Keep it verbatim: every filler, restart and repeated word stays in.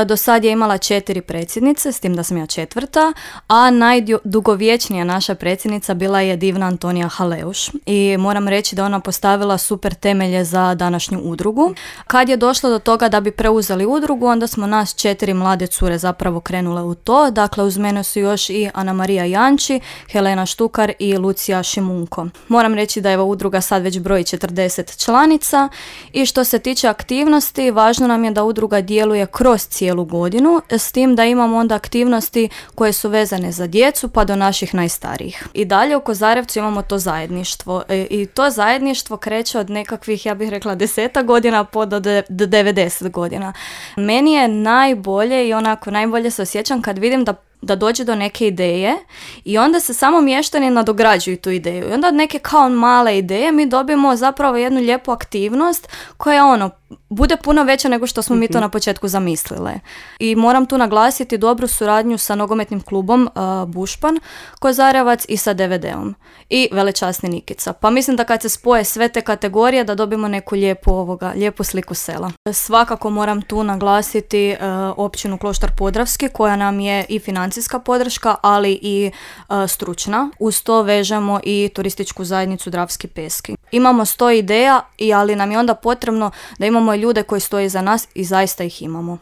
Do sad je imala četiri predsjednice, s tim da sam ja četvrta, a najdugovječnija naša predsjednica bila je divna Antonija Haleuš i moram reći da ona postavila super temelje za današnju udrugu. Kad je došlo do toga da bi preuzeli udrugu, onda smo nas četiri mlade cure zapravo krenule u to. Dakle, uz mene su još i Ana Marija Janči, Helena Štukar i Lucija Šimunko. Moram reći da je ova udruga sad već broji četrdeset članica i što se tiče aktivnosti, važno nam je da udruga djeluje kroz cijelu godinu, s tim da imamo onda aktivnosti koje su vezane za djecu pa do naših najstarijih. I dalje u Kozarevcu imamo to zajedništvo i to zajedništvo kreće od nekakvih, ja bih rekla, deseta godina po do devedeset godina. Meni je najbolje i onako najbolje se osjećam kad vidim da da dođe do neke ideje i onda se samo mještani nadograđuju tu ideju. I onda od neke kao male ideje mi dobijemo zapravo jednu lijepu aktivnost koja ono, bude puno veća nego što smo mm-hmm. mi to na početku zamislile. I moram tu naglasiti dobru suradnju sa nogometnim klubom uh, Bušpan, Kozarevac i sa D V D-om. I velečasni Nikica. Pa mislim da kad se spoje sve te kategorije da dobijemo neku lijepu, ovoga, lijepu sliku sela. Svakako moram tu naglasiti uh, općinu Kloštar Podravski koja nam je i financijska podrška, ali i uh, stručna. Uz to vežemo i turističku zajednicu Dravski Peski. Imamo sto ideja, i ali nam je onda potrebno da imamo ljude koji stoje za nas i zaista ih imamo.